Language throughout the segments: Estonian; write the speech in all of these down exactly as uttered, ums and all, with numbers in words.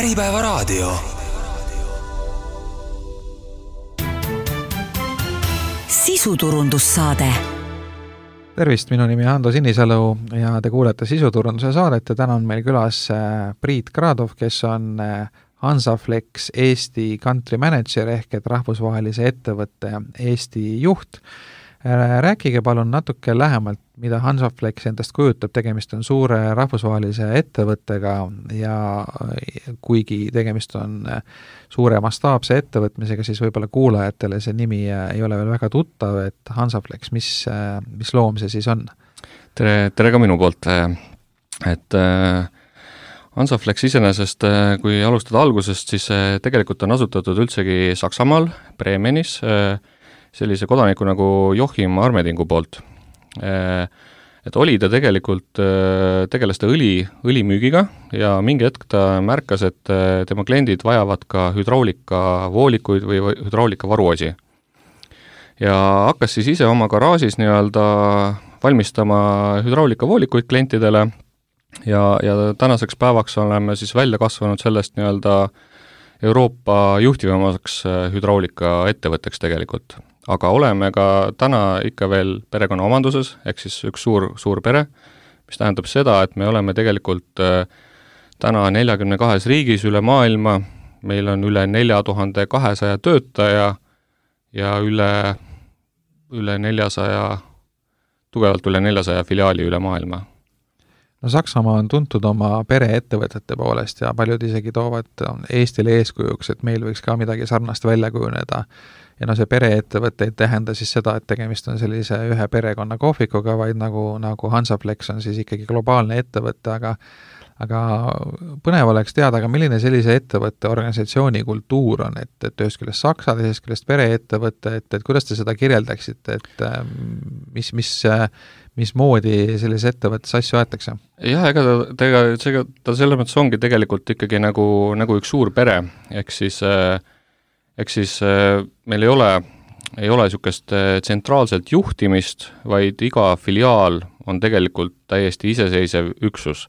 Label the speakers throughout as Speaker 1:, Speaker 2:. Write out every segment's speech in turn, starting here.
Speaker 1: Äripäevaraadio. Sisuturundussaade.
Speaker 2: Tervist, minu nimi on Ando Sinisalu ja te kuulete Sisuturunduse saadet ja täna on meil külas Priit Gradov, kes on Hansaflex Eesti country manager ehk et rahvusvahelise ettevõtte Eesti juht. Rääkige palun natuke lähemalt, mida Hansaflex endast kujutab. Tegemist on suure rahvusvahelise ettevõttega ja kuigi tegemist on suure mastaapse ettevõtmisega, siis võib-olla kuulajatele see nimi ei ole veel väga tuttav, et Hansaflex, mis, mis loom see siis on?
Speaker 3: Tere, tere ka minu poolt. Et Hansaflex iseenesest, kui alustada algusest, siis tegelikult on asutatud üldsegi Saksamaal, Bremenis, sellise kodaniku nagu Joachim Armedingu poolt. Et oli ta tegelikult, tegeles ta õli, õlimüügiga ja mingi hetk ta märkas, et tema kliendid vajavad ka hüdraulika voolikuid või hüdraulika varuosi. Ja hakkas siis ise oma garaažis nii-öelda valmistama hüdraulika voolikuid klientidele ja, ja tänaseks päevaks oleme siis välja kasvanud sellest nii-öelda Euroopa juhtivamaks hüdraulika ettevõtteks tegelikult. Aga oleme ka täna ikka veel perekonna omanduses, ehk siis üks suur, suur pere, mis tähendab seda, et me oleme tegelikult täna neljakümne kahes riigis üle maailma, meil on üle nelja tuhande kahesaja töötaja ja üle, üle neljasaja, tugevalt üle neljasaja filiaali üle maailma.
Speaker 2: No Saksamaa on tuntud oma pereettevõtete poolest ja paljud isegi toovad Eestile eeskujuks, et meil võiks ka midagi sarnast välja kujuneda. Ja no see pereettevõte ei tähenda siis seda, et tegemist on sellise ühe perekonna kohvikuga, vaid nagu, nagu Hansaflex on siis ikkagi globaalne ettevõte, aga, aga põnev oleks teada, aga milline sellise ettevõtte organisatsiooni kultuur on, et, et ühest küljest Saksa, teisest küljest pereettevõte, et, et kuidas te seda kirjeldaksite, et mis, mis, mis moodi sellise ettevõttes asju aetakse?
Speaker 3: Jah, ega ta, tega, see, ta selles mõttes ongi tegelikult ikkagi nagu, nagu üks suur pere, ehk siis Eks siis meil ei ole, ei ole niisugust tsentraalselt juhtimist, vaid iga filiaal on tegelikult täiesti iseseisev üksus.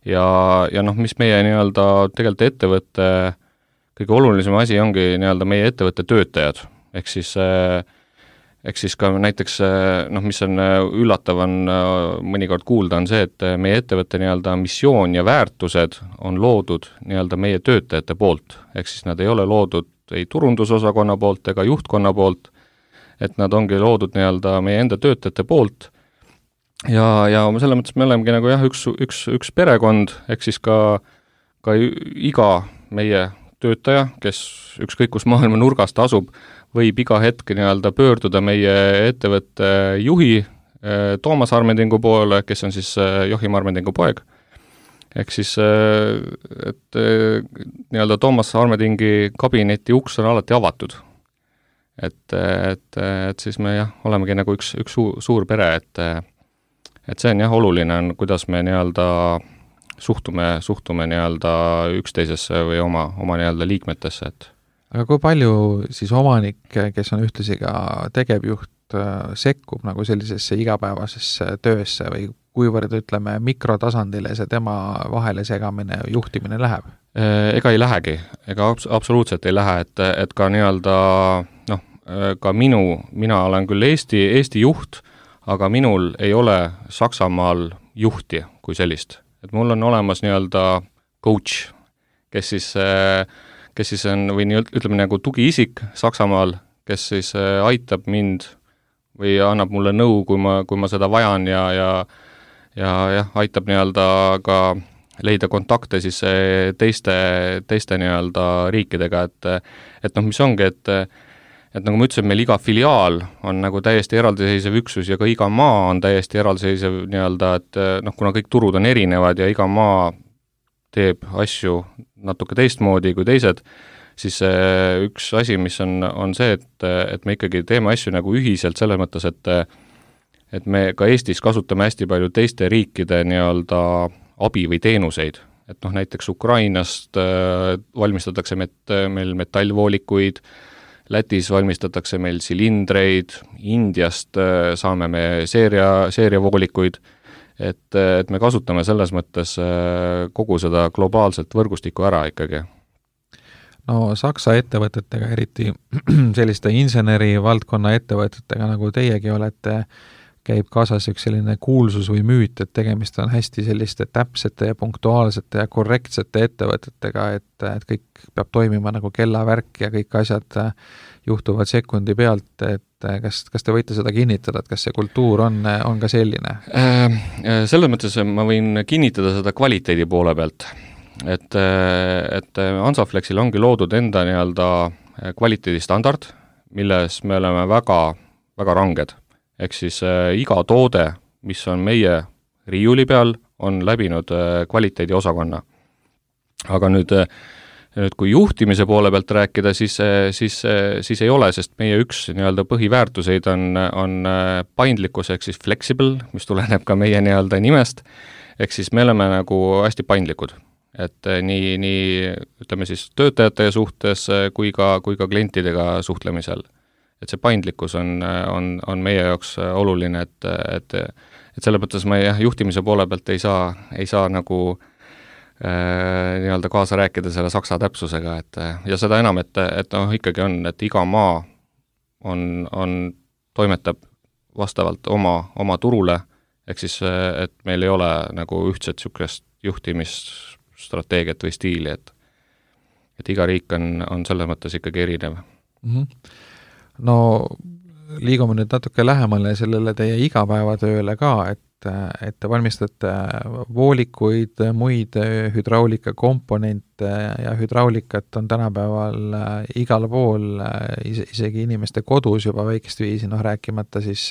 Speaker 3: Ja, ja noh, mis meie nii-öelda tegelikult ettevõtte kõige olulisem asi ongi nii-öelda meie ettevõtte töötajad. Ehk siis, ehk siis ka näiteks, noh, mis on üllatav on mõnikord kuulda, on see, et meie ettevõtte nii-öelda missioon ja väärtused on loodud nii-öelda meie töötajate poolt. Ehk siis nad ei ole loodud ei turundusosakonna poolt ega juhtkonna poolt, et nad ongi loodud nii-öelda meie enda töötajate poolt. Ja, ja selle mõttes me olemegi nagu jah, üks, üks, üks perekond, ehk siis ka, ka iga meie töötaja, kes ükskõik kus maailma nurgast asub, võib iga hetk nii-öelda pöörduda meie ettevõtte juhi Toomas Armedingu poole, kes on siis Joachim Armedingu poeg. Ehk siis, et nii-öelda Toomas Armedingi kabineti uks on alati avatud. Et, et, et siis me jah, olemegi nagu üks, üks suur, suur pere, et, et see on jah oluline, kuidas me nii-öelda suhtume, suhtume nii-öelda üksteisesse või oma, oma nii-öelda liikmetesse. Et.
Speaker 2: Aga kui palju siis omanik, kes on ühtlasi ka tegevjuht, sekkub nagu sellisesse igapäevasesse töösse või kuivõrd, ütleme, mikrotasandile see tema vahele segamine juhtimine läheb?
Speaker 3: Ega ei lähegi, ega absoluutselt ei lähe, et, et ka nii-öelda, noh, ka minu, mina olen küll Eesti, Eesti juht, aga minul ei ole Saksamaal juhti kui sellist. Et mul on olemas nii-öelda coach, kes siis, kes siis on, või nii, ütleme nagu tugiisik Saksamaal, kes siis aitab mind või annab mulle nõu, kui ma, kui ma seda vajan ja, ja ja jah, aitab nii-öelda ka leida kontakte siis teiste, teiste nii-öelda riikidega, et, et noh, mis ongi, et, et nagu ma ütlesin, meil iga filiaal on nagu täiesti eraldiseisev üksus ja ka iga maa on täiesti eraldiseisev nii-öelda, et noh, kuna kõik turud on erinevad ja iga maa teeb asju natuke teistmoodi kui teised, siis üks asi, mis on, on see, et, et me ikkagi teeme asju nagu ühiselt selles mõttes, et et me ka Eestis kasutame hästi palju teiste riikide nii-öelda abi või teenuseid. Et noh, näiteks Ukrainast äh, valmistatakse met, meil metallvoolikuid, Lätis valmistatakse meil silindreid, Indiast äh, saame me seeria, seeriavoolikuid, et, et me kasutame selles mõttes kogu seda globaalset võrgustikku ära ikkagi.
Speaker 2: No Saksa ettevõtetega, eriti selliste inseneri valdkonna ettevõtetega, nagu teiegi olete, käib kaasas üks selline kuulsus või müüt, et tegemist on hästi selliste täpsete ja punktuaalsete ja korrektsete ettevõtetega, et, et kõik peab toimima nagu kellavärk ja kõik asjad juhtuvad sekundi pealt, et kas, kas te võite seda kinnitada, et kas see kultuur on, on ka selline?
Speaker 3: Selles mõttes ma võin kinnitada seda kvaliteedi poole pealt, et, et Hansaflexil ongi loodud enda nii-öelda kvaliteedistandard, milles me oleme väga, väga ranged. Ehk siis äh, iga toode, mis on meie riiuli peal, on läbinud äh, kvaliteedi osakonna. Aga nüüd, äh, nüüd kui juhtimise poole pealt rääkida, siis, äh, siis, äh, siis ei ole, sest meie üks nii-öelda põhiväärtuseid on, on äh, paindlikkus ehk siis flexible, mis tuleneb ka meie nii-öelda nimest, ehk siis me oleme nagu hästi paindlikud. Et äh, nii, nii ütleme siis töötajate suhtes äh, kui ka, kui ka klientidega suhtlemisel. Et see paindlikkus on, on, on meie jaoks oluline, et, et, et selle mõttes me jah, juhtimise poole pealt ei saa, ei saa nagu äh, nii-öelda kaasa rääkida selle saksa täpsusega, et ja seda enam, et, et noh, ikkagi on, et iga maa on, on, toimetab vastavalt oma, oma turule, ehk siis, et meil ei ole nagu ühtset niisugust juhtimisstrateegiat või stiili, et, et iga riik on, on selles mõttes ikkagi erinev.
Speaker 2: Mm-hmm. No liigume nüüd natuke lähemale sellele teie igapäevatööle ka, et, et te valmistate voolikuid, muid hüdraulika komponente ja hüdraulikat on tänapäeval igal pool, isegi inimeste kodus juba väikest viisi, noh rääkimata siis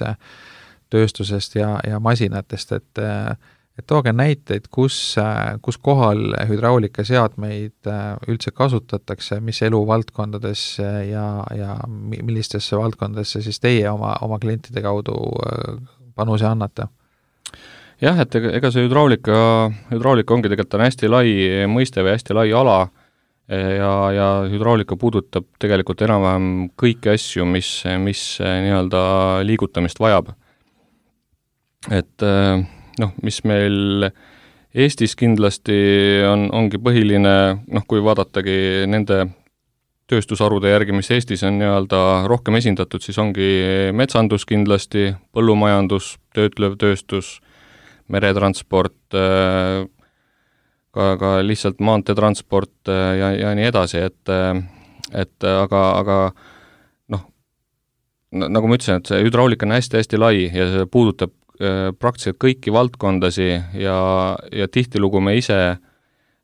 Speaker 2: tööstusest ja, ja masinatest, et et tooge näiteid, kus, kus kohal hüdraulikaseadmeid üldse kasutatakse, mis eluvaldkondades ja, ja millistesse valdkondadesse siis teie oma, oma klientide kaudu panuse annate?
Speaker 3: Jah, et ega see hüdraulika, hüdraulika ongi tegelikult on hästi lai mõiste või hästi lai ala ja, ja hüdraulika puudutab tegelikult enam-vähem kõiki asju, mis, mis nii-öelda liigutamist vajab. Et noh, mis meil Eestis kindlasti on, ongi põhiline, noh, kui vaadatagi nende tööstusharude järgi, mis Eestis on nii-öelda rohkem esindatud, siis ongi metsandus kindlasti, põllumajandus, töötlev tööstus, meretransport, ka, ka lihtsalt maanteetransport ja, ja nii edasi, et, et aga, aga noh, nagu ma ütlesin, et see hüdraulika on hästi-hästi lai ja see puudutab praktiliselt kõiki valdkondasi ja, ja tihtilugu me ise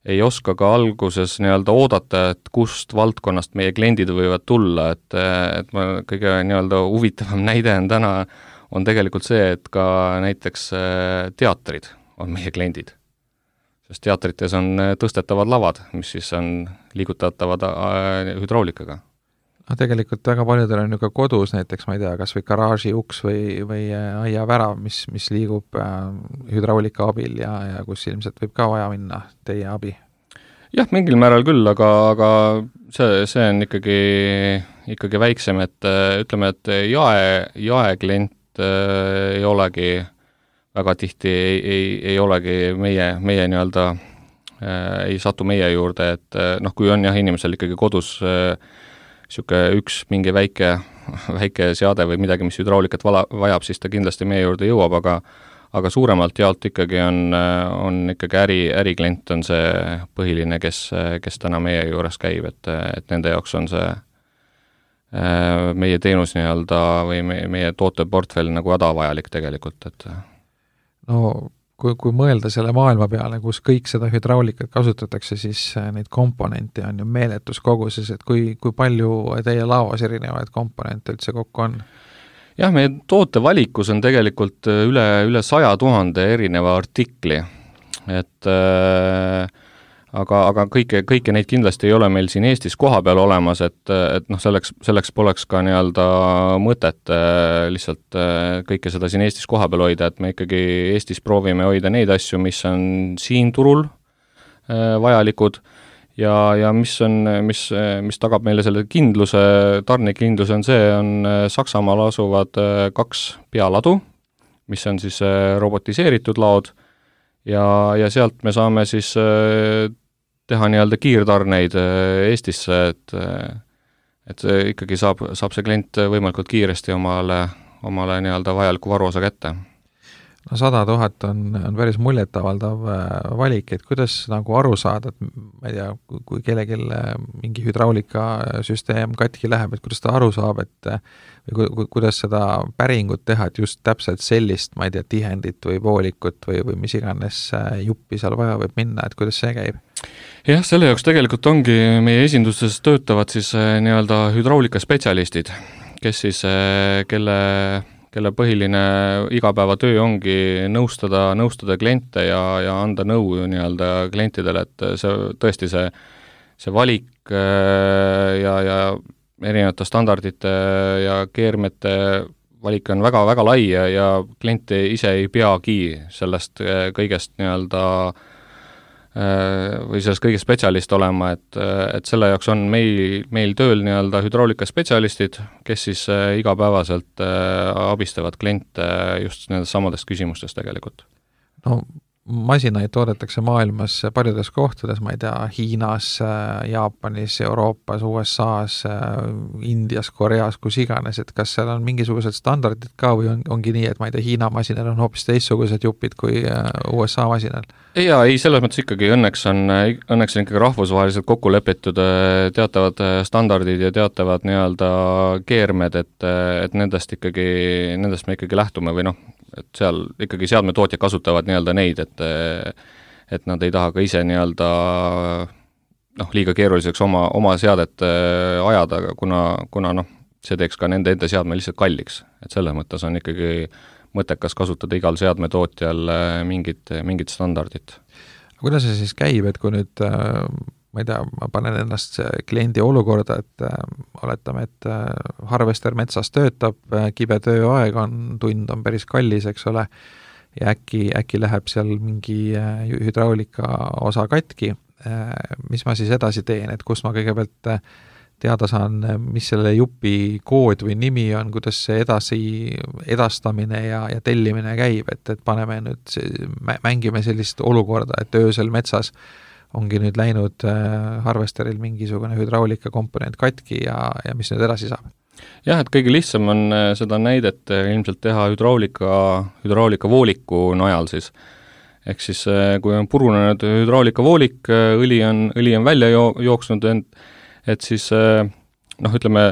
Speaker 3: ei oska ka alguses nii-öelda oodata, et kust valdkonnast meie kliendid võivad tulla, et, et ma kõige nii-öelda huvitavam näide on täna, on tegelikult see, et ka näiteks teatrid on meie kliendid. Sest teatrites on tõstetavad lavad, mis siis on liigutatavad hüdraulikaga.
Speaker 2: No tegelikult väga paljudel on ju ka kodus näiteks, ma ei tea, kas või garaaži uks või, või aia värav, mis, mis liigub äh, hüdraulika abil ja, ja kus ilmselt võib ka vaja minna teie abi.
Speaker 3: Jah, mingil määral küll, aga, aga see, see on ikkagi, ikkagi väiksem, et ütleme, et jae, jaeklient äh, ei olegi väga tihti, ei, ei, ei olegi meie, meie nii-öelda äh, ei satu meie juurde, et noh, kui on jah, inimesel ikkagi kodus äh, niisugune üks mingi väike, väike seade või midagi, mis hüdraulikat vala, vajab, siis ta kindlasti meie juurde jõuab, aga aga suuremalt jaolt ikkagi on, on ikkagi äri, äriklient on see põhiline, kes, kes täna meie juures käib, et, et nende jaoks on see meie teenus nii-öelda või meie, meie tooteportfell nagu hädavajalik tegelikult, et
Speaker 2: no kui, kui mõelda selle maailma peale, kus kõik seda hüdraulikat kasutatakse, siis neid komponente on ju meeletus koguses, et kui, kui palju teie laos erinevaid komponente üldse kokku on?
Speaker 3: Jah, meie tootevalikus on tegelikult üle, üle saja tuhande erineva artikli, et äh, aga, aga kõike, kõike neid kindlasti ei ole meil siin Eestis koha peal olemas, et, et noh, selleks, selleks poleks ka nii-öelda mõtet äh, lihtsalt äh, kõike seda siin Eestis koha peal hoida, et me ikkagi Eestis proovime hoida neid asju, mis on siin turul äh, vajalikud ja, ja mis on, mis, mis tagab meile selle kindluse, tarnekindluse on see, on Saksamaal asuvad kaks pealadu, mis on siis robotiseeritud laod ja, ja sealt me saame siis teha nii-öelda kiirtarneid Eestisse, et, et ikkagi saab, saab see klient võimalikult kiiresti omale, omale nii-öelda vajaliku varuosa kätte.
Speaker 2: No sada tuhat on, on päris muljetavaldav valik, et kuidas nagu aru saada, et ma ei tea, kui kellelgi mingi hüdraulikasüsteem katki läheb, et kuidas ta aru saab, et või ku, kuidas seda päringut teha, et just täpselt sellist, ma ei tea, tihendit või voolikut või, või mis iganes juppi seal vaja võib minna, et kuidas see käib?
Speaker 3: Jah, selle jaoks tegelikult ongi meie esindustes töötavad siis nii-öelda hüdraulikaspetsialistid, kes siis, kelle kelle põhiline igapäevatöö ongi nõustada, nõustada kliente ja, ja anda nõu nii-öelda klientidele, et see tõesti see, see valik ja, ja erinevate standardite ja keermete valik on väga, väga lai ja, ja klient ise ei peagi sellest kõigest nii-öelda või sellest kõige spetsialist olema, et, et selle jaoks on meil, meil tööl nii-öelda hüdraulikaspetsialistid, kes siis igapäevaselt abistavad kliente just nendest samadest küsimustest tegelikult.
Speaker 2: No masinaid toodetakse maailmas paljudes kohtades, ma ei tea, Hiinas, Jaapanis, Euroopas, U S A-s, Indias, Koreas, kus iganes, et kas seal on mingisugused standardid ka või on, ongi nii, et ma ei tea, Hiina masinal on hoopis teistsugused jupid kui U S A masinal?
Speaker 3: Jaa, ei, selles mõttes ikkagi õnneks on, õnneks on ikkagi rahvusvaheliselt kokku lepitud teatavad standardid ja teatavad nii-öelda keermed, et, et nendest ikkagi, nendest me ikkagi lähtume või noh, et seal ikkagi seadmetootjad kasutavad nii-öelda neid, et et nad ei taha ka ise nii-öelda noh, liiga keeruliseks oma, oma seadet ajada, kuna, kuna noh, see teeks ka nende enda seadme lihtsalt kalliks. Et selles mõttes on ikkagi mõttekas kasutada igal seadmetootjal mingit, mingit standardit.
Speaker 2: Kuidas see siis käib, et kui nüüd ma ei tea, ma panen ennast kliendi olukorda, et äh, oletame, et äh, harvester metsas töötab, äh, kibe tööaeg on, tund on päris kallis, eks ole, ja äkki, äkki läheb seal mingi äh, hüdraulika osa katki, äh, mis ma siis edasi teen, et kus ma kõigepealt äh, teada saan, mis selle jupi kood või nimi on, kuidas see edasi edastamine ja, ja tellimine käib, et, et paneme nüüd, mängime sellist olukorda, et öösel metsas ongi nüüd läinud äh, harvesteril mingisugune hüdraulika komponent katki ja, ja mis nüüd edasi saab?
Speaker 3: Jah, et kõige lihtsam on seda näidet ilmselt teha hüdraulika, hüdraulika vooliku najal siis. Ehk siis kui on purunenud hüdraulika voolik, õli on, õli on välja jo- jooksnud, et siis noh, ütleme,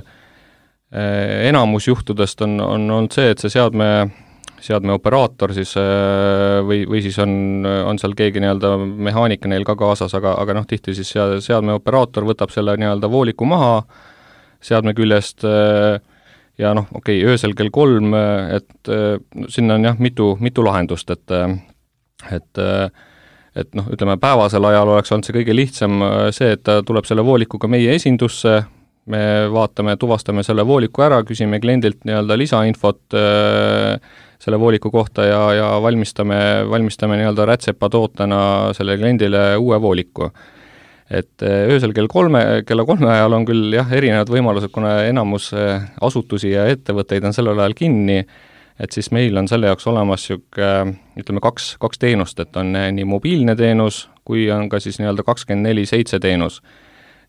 Speaker 3: enamus juhtudest on, on olnud see, et see seadme seadme operaator siis või, või siis on, on seal keegi nii-öelda mehaanika neil ka kaasas, aga, aga noh, tihti siis seadme operaator võtab selle nii-öelda vooliku maha seadme küljest ja noh, okei, okay, öösel kell kolm, et sinna on jah, mitu, mitu lahendust, et et, et noh, ütleme, päevasel ajal oleks olnud see kõige lihtsam see, et ta tuleb selle voolikuga meie esindusse, me vaatame, tuvastame selle vooliku ära, küsime kliendilt nii-öelda lisainfot selle vooliku kohta ja, ja valmistame, valmistame nii-öelda rätsepatootena selle kliendile uue vooliku. Et öösel kell kolme, kella kolme ajal on küll jah, erinevad võimalused, kuna enamus asutusi ja ettevõtteid on sellel ajal kinni, et siis meil on selle jaoks olemas siuke, ütleme, kaks, kaks teenust, et on nii mobiilne teenus, kui on ka siis nii-öelda kakskümmend neli seitse teenus.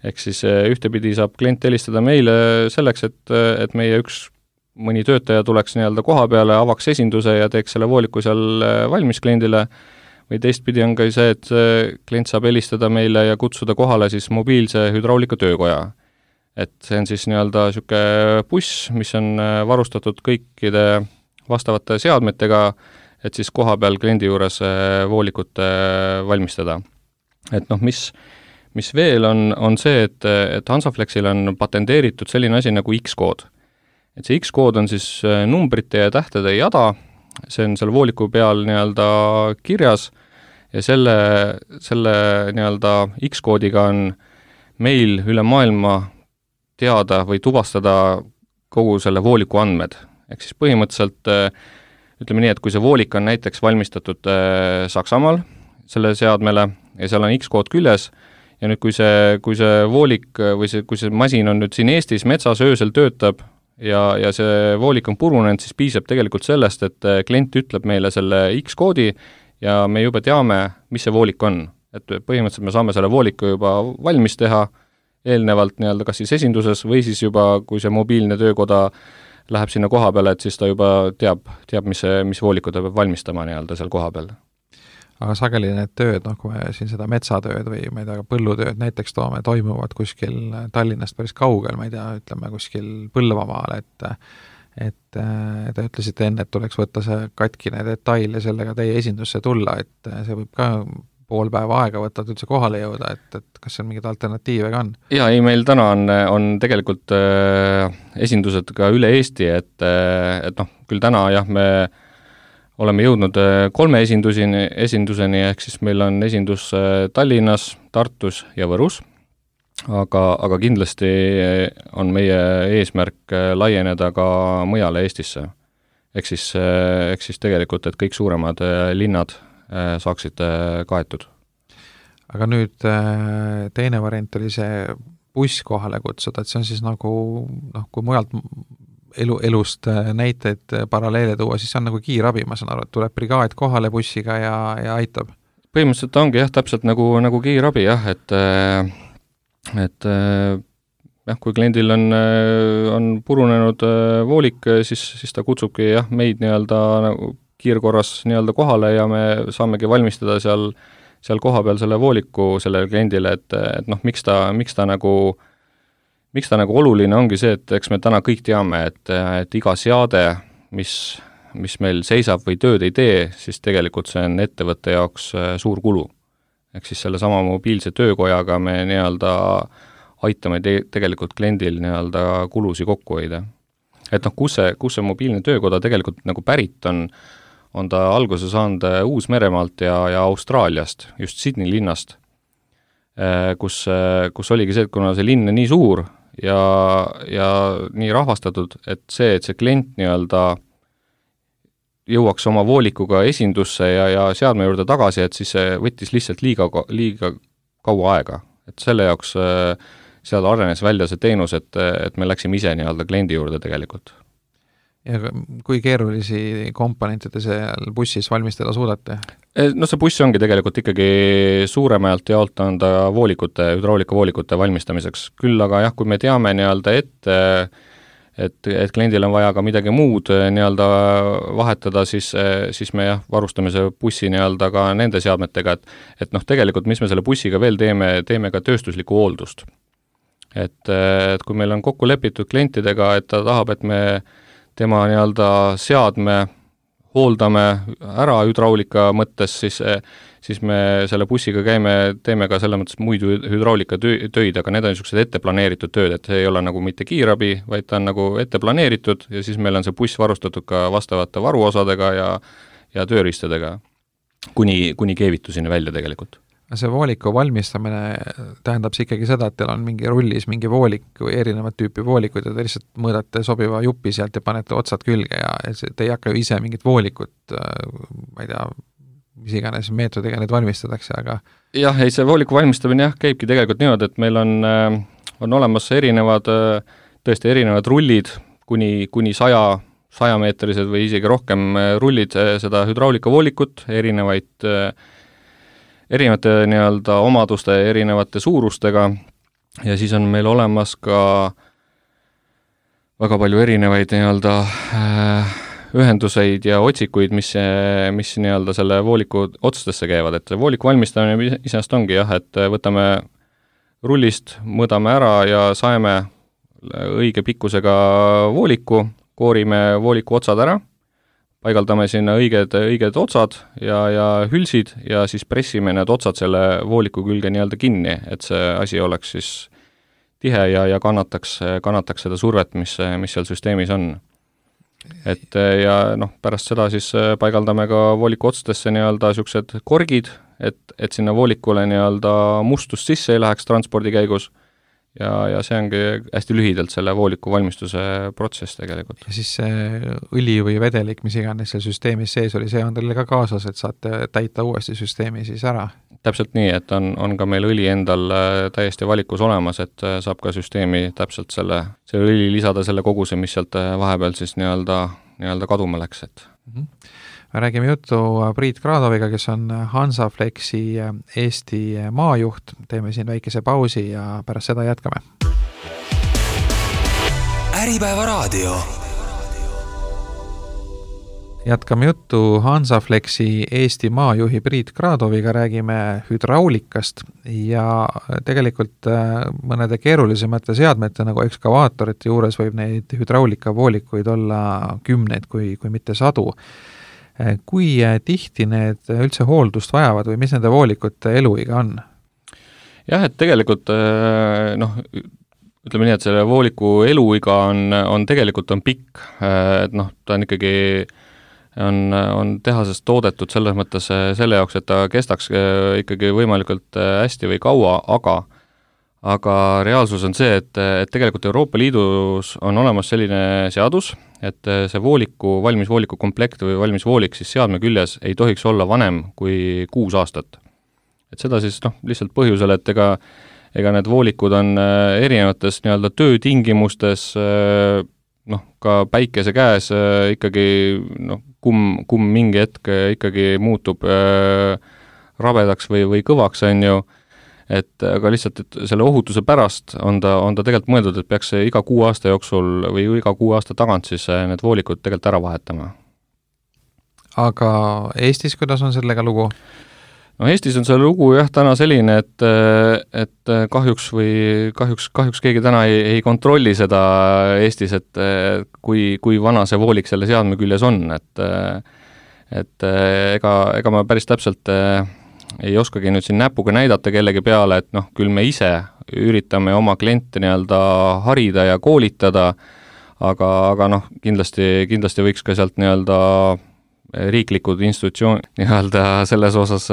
Speaker 3: Ehk siis ühtepidi saab klient helistada meile selleks, et, et meie üks mõni töötaja tuleks nii-öelda koha peale, avaks esinduse ja teeks selle vooliku seal valmis kliendile, või teistpidi on ka see, et klient saab helistada meile ja kutsuda kohale siis mobiilse hüdraulika töökoja. Et see on siis nii-öelda siuke buss, mis on varustatud kõikide vastavate seadmetega, et siis koha peal kliendi juures voolikut valmistada. Et noh, mis mis veel on, on see, et, et Hansaflexil on patenteeritud selline asi nagu X-kood. Et see X-kood on siis numbrite ja tähtede jada, see on seal vooliku peal nii-öelda kirjas ja selle, selle nii-öelda X-koodiga on meil üle maailma teada või tuvastada kogu selle vooliku andmed. Ehk siis põhimõtteliselt ütleme nii, et kui see voolik on näiteks valmistatud Saksamaal selle seadmele ja seal on X-kood küljes, ja nüüd, kui see, kui see voolik või see, kui see masin on nüüd siin Eestis metsas öösel töötab ja, ja see voolik on purunenud, siis piisab tegelikult sellest, et klient ütleb meile selle X-koodi ja me juba teame, mis see voolik on. Et põhimõtteliselt me saame selle vooliku juba valmis teha eelnevalt nii-öelda kas siis esinduses või siis juba, kui see mobiilne töökoda läheb sinna koha peale, et siis ta juba teab, teab mis, see, mis vooliku ta peab valmistama nii-öelda seal koha peal.
Speaker 2: Aga sageli need tööd, noh kui me siin seda metsatööd või ma ei tea, põllutööd näiteks toome, toimuvad kuskil Tallinnast päris kaugel, ma ei tea, ütleme kuskil Põlvamaal, et et te ütlesite enne, et tuleks võtta see katkine detail ja sellega teie esindusse tulla, et see võib ka pool päeva aega võtta, et üldse kohale jõuda, et, et kas seal mingeid alternatiive ka on?
Speaker 3: Jaa, ei, meil täna on, on tegelikult äh, esindused ka üle Eesti, et, et noh, küll täna jah, me oleme jõudnud kolme esindusini, esinduseni, ehk siis meil on esindus Tallinnas, Tartus ja Võrus, aga, aga kindlasti on meie eesmärk laieneda ka mujale Eestisse. Ehk siis, ehk siis tegelikult, et kõik suuremad linnad saaksid kaetud.
Speaker 2: Aga nüüd teine variant oli see buss kohale kutsuda, et see on siis nagu, noh, kui mujalt elu, elust näiteid paralleele tuua, siis see on nagu kiirabi, ma saan aru, et tuleb brigaad kohale bussiga ja, ja aitab.
Speaker 3: Põhimõtteliselt ongi jah, täpselt nagu, nagu kiirabi jah, et et jah, kui kliendil on, on purunenud voolik, siis, siis ta kutsubki jah, meid nii-öelda nagu kiirkorras nii-öelda kohale ja me saamegi valmistada seal, seal koha peal selle vooliku sellele kliendile, et, et noh, miks ta, miks ta nagu miks ta nagu oluline ongi see, et eks me täna kõik teame, et, et iga seade, mis, mis meil seisab või tööd ei tee, siis tegelikult see on ettevõtte jaoks suur kulu. Ehk siis selle sama mobiilse töökojaga me nii-öelda aitame te- tegelikult kliendil nii-öelda kulusi kokku hoida. Et noh, kus see, kus see mobiilne töökoda tegelikult nagu pärit on, on ta alguse saanud Uus-Meremaalt ja, ja Austraaliast, just Sydney linnast, kus, kus oligi see, et kuna see linn on nii suur ja, ja nii rahvastatud, et see, et see klient nii-öelda jõuaks oma voolikuga esindusse ja, ja seadme juurde tagasi, et siis see võttis lihtsalt liiga, liiga kaua aega. Et selle jaoks seal arenes välja see teenus, et, et me läksime ise nii-öelda kliendi juurde tegelikult.
Speaker 2: Ja kui keerulisi komponentide seal bussis valmistada suudate?
Speaker 3: No see buss ongi tegelikult ikkagi suuremalt jaolt on ta voolikute, hüdraulikavoolikute valmistamiseks. Küll aga jah, kui me teame nii-öelda ette, et, et kliendil on vaja ka midagi muud nii-öelda vahetada, siis, siis me jah, varustame see bussi nii-öelda ka nende seadmetega, et, et noh, tegelikult mis me selle bussiga veel teeme, teeme ka tööstuslikku hooldust. Et, et kui meil on kokku lepitud klientidega, et ta tahab, et me tema nii-öelda seadme hooldame ära hüdraulika mõttes, siis, siis me selle bussiga käime, teeme ka selle mõttes muid hüdraulika töid, aga need on niisugused ette planeeritud tööd, et see ei ole nagu mitte kiirabi, vaid ta on nagu ette planeeritud ja siis meil on see buss varustatud ka vastavate varuosadega ja, ja tööriistadega, kuni, kuni keevitusini välja tegelikult.
Speaker 2: See vooliku valmistamine tähendab see ikkagi seda, et teil on mingi rullis mingi voolik või erinevat tüüpi voolikuid ja te lihtsalt mõõdate sobiva jupi sealt ja panete otsad külge ja te ei hakka ju ise mingit voolikut, ma ei tea, mis iganes meetodiga need valmistatakse, aga
Speaker 3: jah, ei see vooliku valmistamine jah, käibki tegelikult niimoodi, et meil on, on olemas erinevad, tõesti erinevad rullid, kuni, kuni saja, sajameetrised või isegi rohkem rullid seda hüdraulikavoolikut, erinevaid erinevate nii-öelda omaduste, erinevate suurustega ja siis on meil olemas ka väga palju erinevaid nii-öelda ühenduseid ja otsikuid, mis, mis nii-öelda selle vooliku otstesse käivad, et vooliku valmistamine iseenesest ongi jah, et võtame rullist, mõõdame ära ja saeme õige pikkusega vooliku, koorime vooliku otsad ära, paigaldame sinna õiged, õiged otsad ja, ja hülsid ja siis pressime need otsad selle vooliku külge nii-öelda kinni, et see asi oleks siis tihe ja, ja kannataks, kannataks seda survet, mis, mis seal süsteemis on. Et ja noh, pärast seda siis paigaldame ka vooliku otstesse nii-öelda niisugused korgid, et, et sinna voolikule nii-öelda mustust sisse ei läheks transpordi käigus ja, ja see ongi hästi lühidalt selle vooliku valmistuse protsess tegelikult.
Speaker 2: Ja siis see õli või vedelik, mis iganes seal süsteemis sees oli, see on teil ka kaasas, et saate täita uuesti süsteemi siis ära?
Speaker 3: Täpselt nii, et on, on ka meil õli endal täiesti valikus olemas, et saab ka süsteemi täpselt selle, selle õli lisada selle koguse, mis sealt vahepeal siis nii-öelda, nii-öelda kaduma läks, et
Speaker 2: mm-hmm. Me räägime juttu Priit Kradoviga, kes on Hansaflexi Eesti maajuht. Teeme siin väikese pausi ja pärast seda jätkame. Äripäeva raadio. Jätkame juttu Hansaflexi Eesti maajuhi Priit Kradoviga, räägime hüdraulikast ja tegelikult mõnede keerulisemate seadmete nagu ekskavaatorite juures võib neid hüdraulikavoolikuid olla kümneid, kui, kui mitte sadu. Kui tihti need üldse hooldust vajavad või mis nende voolikute eluiga on?
Speaker 3: Jah, et tegelikult noh, ütleme nii, et selle vooliku eluiga on, on tegelikult on pikk, et noh, ta on ikkagi on, on tehasest toodetud selles mõttes selle jaoks, et ta kestaks ikkagi võimalikult hästi või kaua, aga aga reaalsus on see, et, et tegelikult Euroopa Liidus on olemas selline seadus, et see vooliku, valmis vooliku komplekt või valmis voolik siis seadme küljes ei tohiks olla vanem kui kuus aastat. Et seda siis noh, lihtsalt põhjusel, et ega, ega need voolikud on erinevates nii-öelda töötingimustes, noh, ka päikese käes ikkagi, noh, kum, kum mingi hetk ikkagi muutub rabedaks või, või kõvaks, on ju, et aga lihtsalt, et selle ohutuse pärast on ta, on ta tegelikult mõeldud, et peaks iga kuu aasta jooksul või iga kuu aasta tagant siis need voolikud tegelikult ära vahetama.
Speaker 2: Aga Eestis, kuidas on sellega lugu?
Speaker 3: No Eestis on see lugu jah täna selline, et, et kahjuks või kahjuks, kahjuks keegi täna ei, ei kontrolli seda Eestis, et kui, kui vana see voolik selle seadme küljes on, et, et ega, ega ma päris täpselt ei oskagi nüüd siin näpuga näidata kellegi peale, et noh, küll me ise üritame oma kliente nii-öelda harida ja koolitada, aga, aga noh, kindlasti, kindlasti võiks ka sealt nii-öelda riiklikud institutsioon nii-öelda selles osas,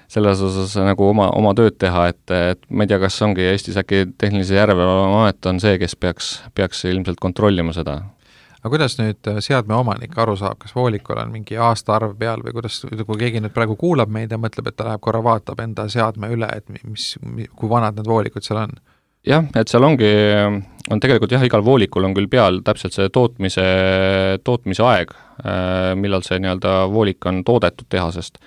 Speaker 3: selles osas nagu oma, oma tööd teha, et, et ma ei tea, kas ongi Eestis äkki tehnilise järelevalveamet on see, kes peaks, peaks ilmselt kontrollima seda.
Speaker 2: Aga kuidas nüüd seadme omanik aru saab, kas voolikul on mingi aastaarv peal või kuidas, kui keegi nüüd praegu kuulab meid ja mõtleb, et ta läheb korra vaatab enda seadme üle, et mis, kui vanad need voolikud seal on?
Speaker 3: Jah, et seal ongi, on tegelikult jah, igal voolikul on küll peal täpselt see tootmise, tootmise aeg, millal see nii-öelda voolik on toodetud tehasest.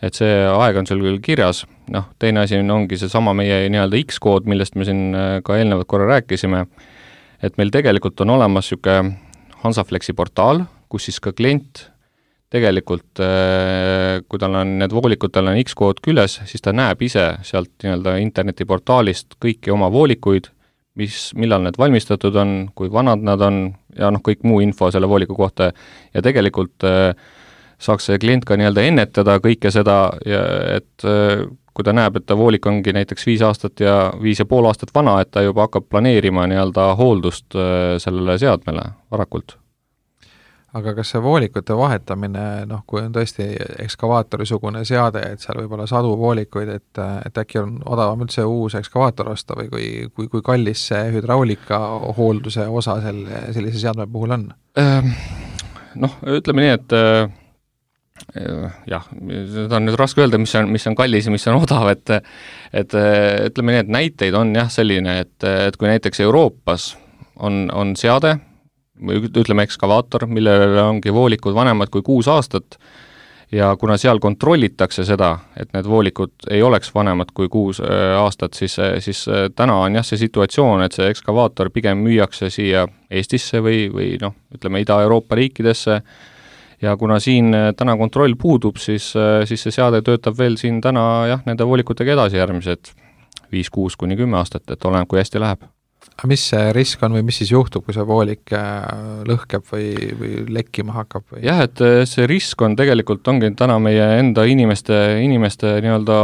Speaker 3: Et see aeg on seal küll kirjas, noh, teine asi ongi see sama meie nii-öelda X-kood, millest me siin ka eelnevat korra rääkisime, et meil tegelikult on olemas siuke Hansaflexi portaal, kus siis ka klient tegelikult, kui tal on need voolikud, tal on X-kood küljes, siis ta näeb ise sealt nii-öelda internetiportaalist kõiki oma voolikuid, mis, millal need valmistatud on, kui vanad nad on ja noh, kõik muu info selle vooliku kohta ja tegelikult saaks see klient ka nii-öelda ennetada kõike seda, ja et kui ta näeb, et ta voolik ongi näiteks viis aastat ja viis ja pool aastat vana, et ta juba hakkab planeerima nii-öelda hooldust sellele seadmele varakult.
Speaker 2: Aga kas see voolikute vahetamine, noh, kui on tõesti ekskavaatori-sugune seade, et seal võib olla sadu voolikuid, et, et äkki on odavam üldse uus ekskavaator osta või kui, kui, kui kallis see hüdraulika hoolduse osa selle, sellise seadme puhul on?
Speaker 3: Noh, ütleme nii, et jah, seda on nüüd raske öelda, mis on, mis on kallis ja mis on odav, et, et ütleme nii, et näiteid on jah selline, et, et kui näiteks Euroopas on, on seade, või ütleme ekskavaator, millele ongi voolikud vanemad kui kuus aastat ja kuna seal kontrollitakse seda, et need voolikud ei oleks vanemad kui kuus aastat, siis, siis täna on jah see situatsioon, et see ekskavaator pigem müüakse siia Eestisse või, või noh, ütleme Ida-Euroopa riikidesse ja kuna siin täna kontroll puudub, siis, siis see seade töötab veel siin täna jah, nende voolikutega edasi järgmised viis kuus kuni kümme aastat, et oleneb, kui hästi läheb.
Speaker 2: Aga mis see risk on või mis siis juhtub, kui see voolik lõhkeb või, või lekkima hakkab? Või?
Speaker 3: Jah, et see risk on tegelikult ongi täna meie enda inimeste, inimeste nii-öelda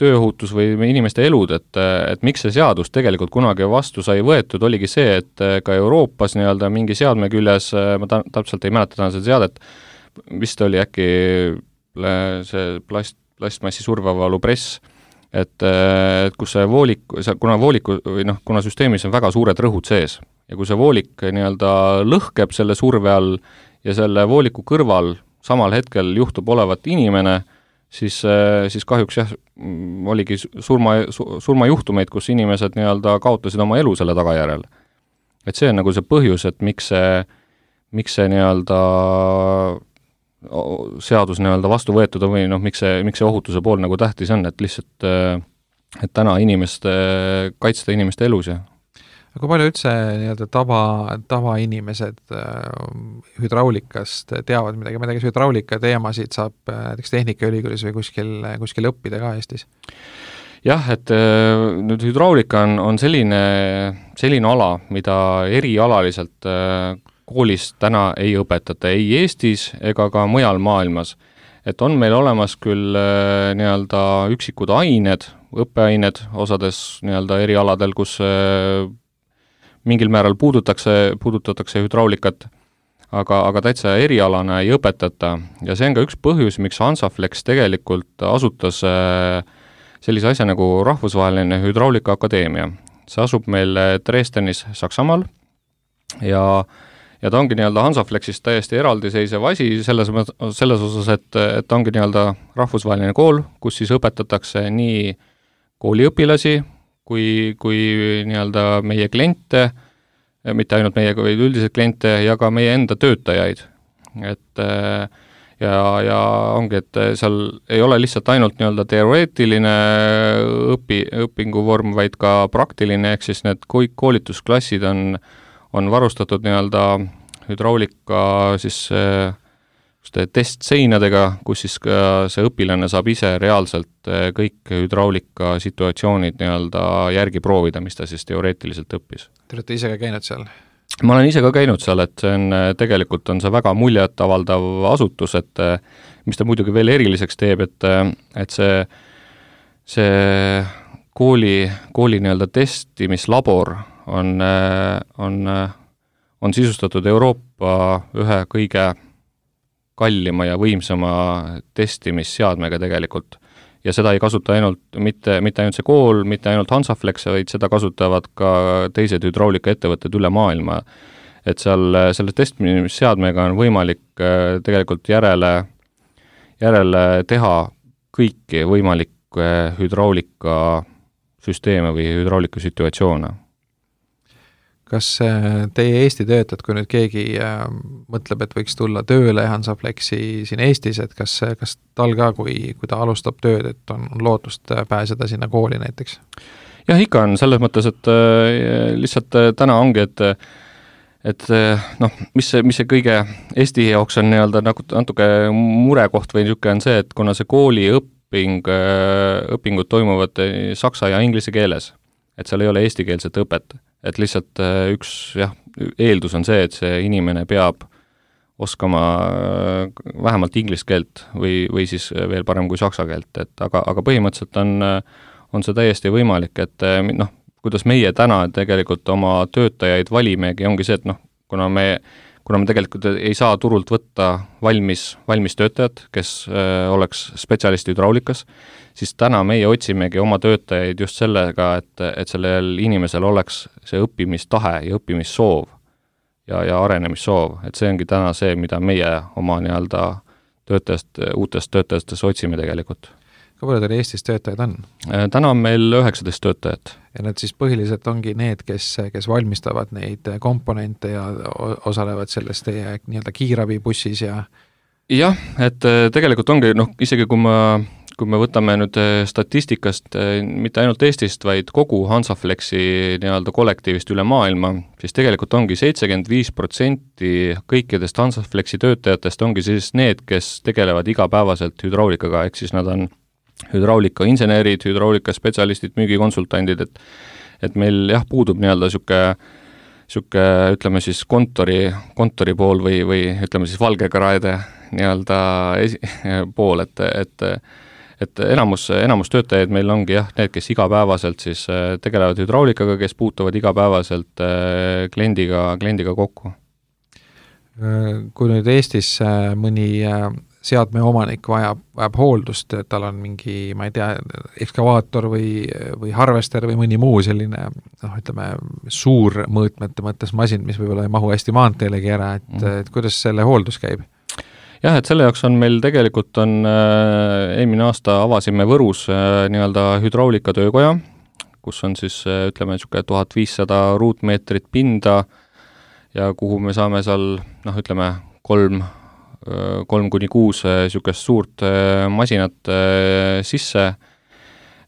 Speaker 3: tööohutus või inimeste elud, et, et miks see seadus tegelikult kunagi vastu sai võetud, oligi see, et ka Euroopas nii-öelda mingi seadme küljes, ma ta, täpselt ei mäleta täna seda seadet, vist oli äkki see plast, plastmassi survavalu press, et, et kus see voolik, kuna vooliku või noh, kuna süsteemis on väga suured rõhud sees ja kui see voolik nii-öelda lõhkeb selle surve all ja selle vooliku kõrval samal hetkel juhtub olevat inimene, siis, siis kahjuks jah, oligi surma, surmajuhtumeid, kus inimesed nii-öelda kaotasid oma elu selle tagajärel. Et see on nagu see põhjus, et miks see, miks see nii-öelda seadus nii-öelda vastu võetud või noh, miks see, miks see ohutuse pool nagu tähtis on, et lihtsalt et täna inimeste, kaitsta inimeste elus ja
Speaker 2: kui palju üldse nii-öelda tava, tavainimesed hüdraulikast teavad midagi, ma ei tea, kas hüdraulika teemasid saab näiteks Tehnikaülikoolis või kuskil, kuskil õppida ka Eestis?
Speaker 3: Jah, et nüüd hüdraulika on, on selline, selline ala, mida erialaliselt koolis täna ei õpetata ei Eestis ega ka mujal maailmas. Et on meil olemas küll nii-öelda üksikud ained, õppeained osades nii-öelda erialadel, kus mingil määral puudutakse, puudutatakse hüdraulikat, aga, aga täitsa erialana ei õpetata. Ja see on ka üks põhjus, miks Hansaflex tegelikult asutas sellise asja nagu Rahvusvaheline Hüdraulika Akadeemia. See asub meil Dresdenis Saksamaal ja Ja ta ongi nii-öelda Hansaflexist täiesti eraldiseisev asi selles, selles osas, et, et ta ongi nii-öelda rahvusvaheline kool, kus siis õpetatakse nii kooliõpilasi kui, kui nii-öelda meie kliente, mitte ainult meie, vaid üldiselt kliente ja ka meie enda töötajaid. Et ja, ja ongi, et seal ei ole lihtsalt ainult nii-öelda teoreetiline õpi, õpinguvorm, vaid ka praktiline, ehk siis need koolitusklassid on on varustatud nii-öelda hüdraulika siis testseinadega, kus siis ka see õpilane saab ise reaalselt kõik hüdraulika situatsioonid nii-öelda järgi proovida, mis ta siis teoreetiliselt õppis.
Speaker 2: Te olete ise ka käinud seal?
Speaker 3: Ma olen ise ka käinud seal, et see on, tegelikult on see väga muljet avaldav asutus, et mis ta muidugi veel eriliseks teeb, et, et see, see kooli, kooli nii-öelda testimislabor on, on, on sisustatud Euroopa ühe kõige kallima ja võimsama testimisseadmega tegelikult. Ja seda ei kasuta ainult, mitte, mitte ainult see kool, mitte ainult Hansaflex, vaid seda kasutavad ka teised hüdraulikaettevõtted üle maailma. Et seal selle testimisseadmega on võimalik tegelikult järele, järele teha kõiki võimalikke hüdraulika süsteeme või hüdraulika situatsioone.
Speaker 2: Kas teie Eesti töötajad, kui nüüd keegi äh, mõtleb, et võiks tulla tööle Hansaflexi siin Eestis, et kas, kas tal ka, kui, kui ta alustab tööd, et on, on lootust pääseda sinna kooli näiteks?
Speaker 3: Jah, ikka on selles mõttes, et äh, lihtsalt äh, täna ongi, et et äh, noh, mis see, mis see kõige Eesti jaoks on nii-öelda nagu natuke murekoht või niisugune on see, et kuna see kooli õpping, äh, õpingud toimuvad saksa ja inglise keeles, et seal ei ole eestikeelset õpet. Et lihtsalt üks jah, eeldus on see, et see inimene peab oskama vähemalt inglise keelt või, või siis veel parem kui saksa keelt, et aga, aga põhimõtteliselt on, on see täiesti võimalik, et noh, kuidas meie täna tegelikult oma töötajaid valimegi, ongi see, et noh, kuna me, kuna me tegelikult ei saa turult võtta valmis, valmis töötajad, kes äh, oleks spetsialisti hüdraulikas, siis täna meie otsimegi oma töötajaid just sellega, et, et sellel inimesel oleks see õppimistahe ja õppimissoov ja, ja arenemissoov. Et see ongi täna see, mida meie oma nii-öelda töötajast, uutest töötajastest otsime tegelikult.
Speaker 2: Kui palju teil Eestis töötajad on?
Speaker 3: Täna on meil üheksateist töötajat.
Speaker 2: Ja need siis põhiliselt ongi need, kes, kes valmistavad neid komponente ja osalevad selles teie nii-öelda kiirabibussis ja
Speaker 3: jah, et tegelikult ongi, noh, isegi kui ma kui me võtame nüüd statistikast mitte ainult Eestist, vaid kogu Hansaflexi nii-öelda kollektiivist üle maailma, siis tegelikult ongi seitsekümmend viis protsenti kõikidest Hansaflexi töötajatest ongi siis need, kes tegelevad igapäevaselt hüdraulikaga, ehk siis nad on hüdraulika insenerid, hüdraulika spetsialistid, müügikonsultandid, et et meil jah, puudub nii-öelda sihuke, sihuke ütleme siis kontori, kontori pool või, või ütleme siis valgekraede nii-öelda esi, pool, et, et et enamus, enamus töötajaid meil ongi jah, need, kes igapäevaselt siis tegelevad hüdraulikaga, kes puutuvad igapäevaselt kliendiga, kliendiga kokku.
Speaker 2: Kui nüüd Eestis mõni seadme omanik vajab, vajab hooldust, et tal on mingi, ma ei tea, ekskavaator või, või harvester või mõni muu selline, noh, ütleme, suur mõõtmete mõttes masin, mis võib-olla ei mahu hästi maanteelegi ära, et, mm. et kuidas selle hooldus käib?
Speaker 3: Jah, et selle jaoks on meil tegelikult on äh, eelmine aasta avasime Võrus äh, nii-öelda hüdraulika töökoja, kus on siis äh, ütleme niisugune tuhat viissada ruutmeetrit pinda ja kuhu me saame seal, noh, ütleme, kolm, äh, kolm kuni kuus niisugust suurt äh, masinat äh, sisse äh,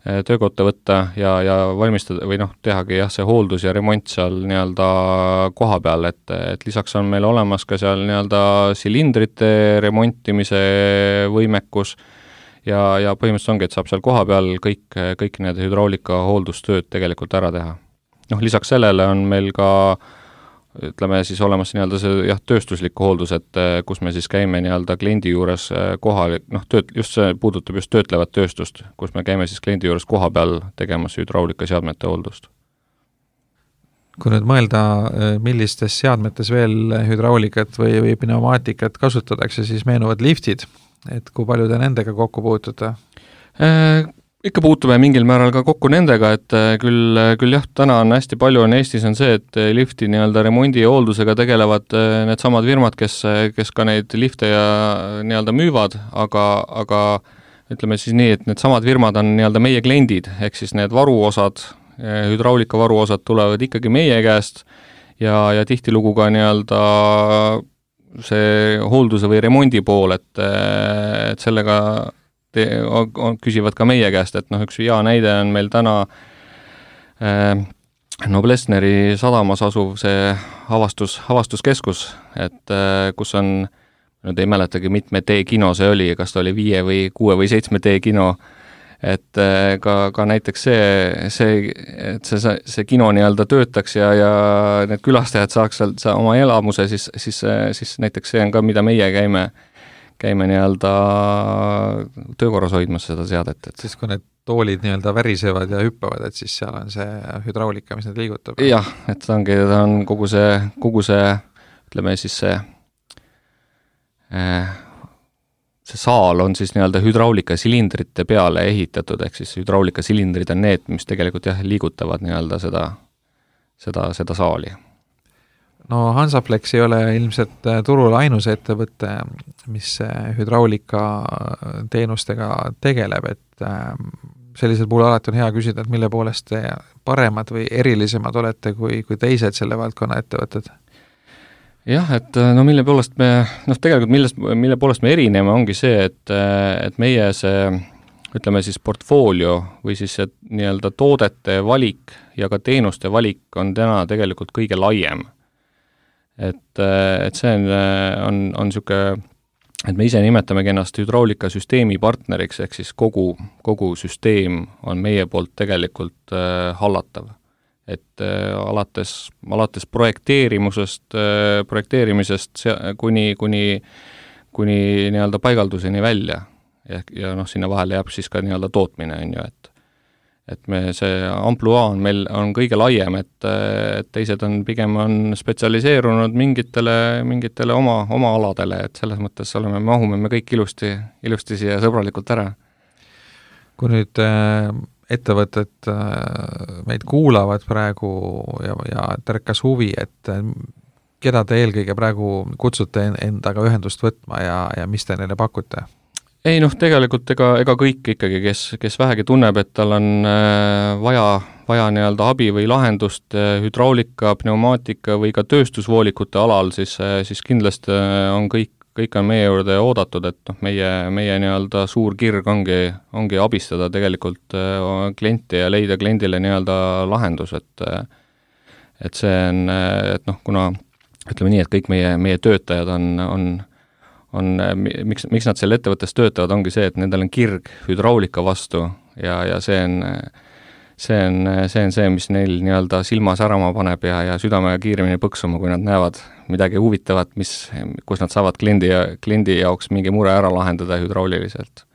Speaker 3: töökotta võtta ja, ja valmistada või noh, tehagi jah, see hooldus ja remont seal nii-öelda koha peal, et, et lisaks on meil olemas ka seal nii-öelda silindrite remontimise võimekus ja, ja põhimõtteliselt ongi, et saab seal koha peal kõik, kõik need hüdraulika hooldustööd tegelikult ära teha. Noh, lisaks sellele on meil ka ütleme siis olemas nii-öelda see jah, tööstuslik hooldus, et kus me siis käime nii-öelda kliendi juures kohal, noh, tööt, just see puudutab just töötlevat tööstust, kus me käime siis kliendi juures koha peal tegemas hüdraulika seadmete hooldust.
Speaker 2: Kui nüüd mõelda, millistes seadmetes veel hüdraulikat või, või pneumaatikat kasutatakse, siis meenuvad liftid, et kui palju te nendega kokku puutute?
Speaker 3: Äh, ikka puutume mingil määral ka kokku nendega, et küll, küll jah, täna on hästi palju on Eestis on see, et lifti nii-öelda remondi ja hooldusega tegelevad need samad firmad, kes, kes ka neid lifte ja nii-öelda müüvad, aga, aga ütleme siis nii, et need samad firmad on nii-öelda meie kliendid, ehk siis need varuosad, hüdraulika varuosad tulevad ikkagi meie käest ja, ja tihtilugu ka nii-öelda see hoolduse või remondi pool, et, et sellega te, on, küsivad ka meie käest, et noh, üks hea näide on meil täna äh, Noblessneri sadamas asuv see avastus, avastuskeskus, et äh, kus on, nüüd ei mäletagi, mitme D-kino see oli, kas ta oli viie või kuue või seitsme D-kino, et äh, ka, ka näiteks see, see, et see, see kino nii-öelda töötaks ja, ja need külastajad saaks sealt sa oma elamuse, siis, siis, siis näiteks see on ka, mida meie käime, käime nii-öelda töökorras hoidmas seda seadet. Et
Speaker 2: siis kui need toolid nii-öelda värisevad ja hüppavad, et siis seal on see hüdraulika, mis need liigutab?
Speaker 3: Jah, et ta ongi, ta on kogu see, kogu see, ütleme siis see äh, see saal on siis nii-öelda hüdraulika silindrite peale ehitatud, ehk siis hüdraulika silindrid on need, mis tegelikult jah, liigutavad nii-öelda seda, seda, seda saali.
Speaker 2: No Hansaflex ei ole ilmselt turul ainus ettevõte, mis hüdraulika teenustega tegeleb, et sellisel puhul alati on hea küsida, et mille poolest te paremad või erilisemad olete kui, kui teised selle valdkonna ettevõtted?
Speaker 3: Jah, et no mille poolest me, noh tegelikult millest, mille poolest me erineme, ongi see, et, et meie see, ütleme siis portfoolio või siis see nii-öelda toodete valik ja ka teenuste valik on täna tegelikult kõige laiem. Et, et see on, on, on siuke, et me ise nimetamegi ennast hüdraulika süsteemi partneriks, ehk siis kogu, kogu süsteem on meie poolt tegelikult äh, hallatav. Et äh, alates, alates projekteerimusest, äh, projekteerimisest kuni, kuni, kuni nii-öelda paigalduseni välja ja, ja noh, sinna vahele jääb siis ka nii-öelda tootmine, on ju, et et me see ampluaa on meil on kõige laiem, et, et teised on pigem on spetsialiseerunud mingitele, mingitele oma, oma aladele, et selles mõttes oleme, mahume me kõik ilusti, ilusti siia sõbralikult ära.
Speaker 2: Kui nüüd äh, ettevõtted äh, meid kuulavad praegu ja, ja tärkas huvi, et äh, keda te eelkõige praegu kutsute endaga ühendust võtma ja, ja mis te neile pakute?
Speaker 3: Ei noh, tegelikult ega, ega kõik ikkagi, kes, kes vähegi tunneb, et tal on äh, vaja, vaja nii-öelda abi või lahendust äh, hüdraulika, pneumaatika või ka tööstusvoolikute alal, siis, äh, siis kindlasti on kõik, kõik on meie juurde oodatud, et noh, meie, meie nii-öelda suur kirg ongi, ongi abistada tegelikult äh, klienti ja leida kliendile nii-öelda lahendus, et äh, et see on, et noh, kuna ütleme nii, et kõik meie, meie töötajad on, on on, miks, miks nad seal ettevõttes töötavad, ongi see, et nendel on kirg hüdraulika vastu ja, ja see on, see on, see on see, mis neil nii-öelda silma särama paneb ja, ja südamega kiiremini põksuma, kui nad näevad midagi huvitavat, mis, kus nad saavad kliendi, kliendi jaoks mingi mure ära lahendada hüdrauliliselt.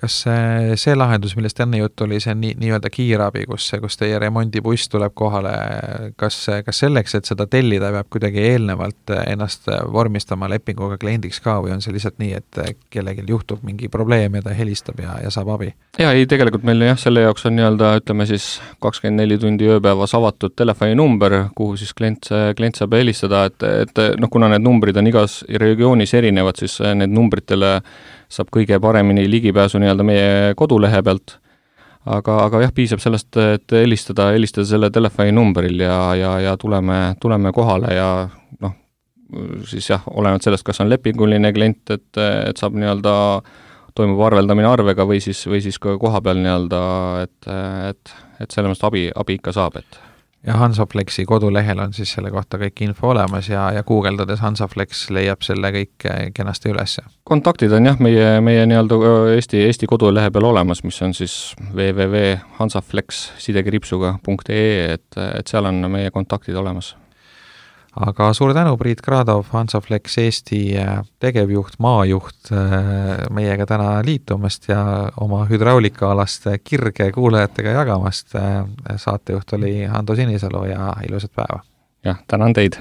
Speaker 2: kas see, see lahendus, millest enne jutt oli, see nii, nii-öelda kiirabi, kus, kus teie remondibuss tuleb kohale, kas, kas selleks, et seda tellida, peab kuidagi eelnevalt ennast vormistama lepinguga kliendiks ka või on see lihtsalt nii, et kellelgi juhtub mingi probleem ja ta helistab ja, ja saab abi?
Speaker 3: Jaa, ei, tegelikult meil jah, selle jaoks on nii-öelda, ütleme siis kakskümmend neli tundi ööpäevas avatud telefoninumber, kuhu siis klient, klient saab helistada, et, et noh, kuna need numbrid on igas regioonis erinevad, siis need numbritele saab kõige paremini ligipääsu nii-öelda meie kodulehe pealt, aga, aga jah, piisab sellest, et helistada, helistada selle telefoninumbril ja, ja, ja tuleme, tuleme kohale ja noh, siis jah, olenevalt sellest, kas on lepinguline klient, et, et saab nii-öelda, toimub arveldamine arvega või siis, või siis ka koha peal nii-öelda, et, et, et selle mõttes abi, abi ikka saab, et
Speaker 2: ja Hansaflexi kodulehel on siis selle kohta kõik info olemas ja, ja guugeldades Hansaflex leiab selle kõik kenasti üles.
Speaker 3: Kontaktid on jah, meie, meie nii-öelda Eesti, Eesti kodulehe peal olemas, mis on siis w w w punkt hansaflex sidekriipsuga punkt e e, et, et seal on meie kontaktid olemas.
Speaker 2: Aga suur tänu, Priit Kradov, Hansaflex Eesti tegevjuht, maajuht meiega täna liitumast ja oma hüdraulikaalast kirge kuulajatega jagamast. Saatejuht oli Hando Sinisalu ja ilusat päeva!
Speaker 3: Jah, tänan teid!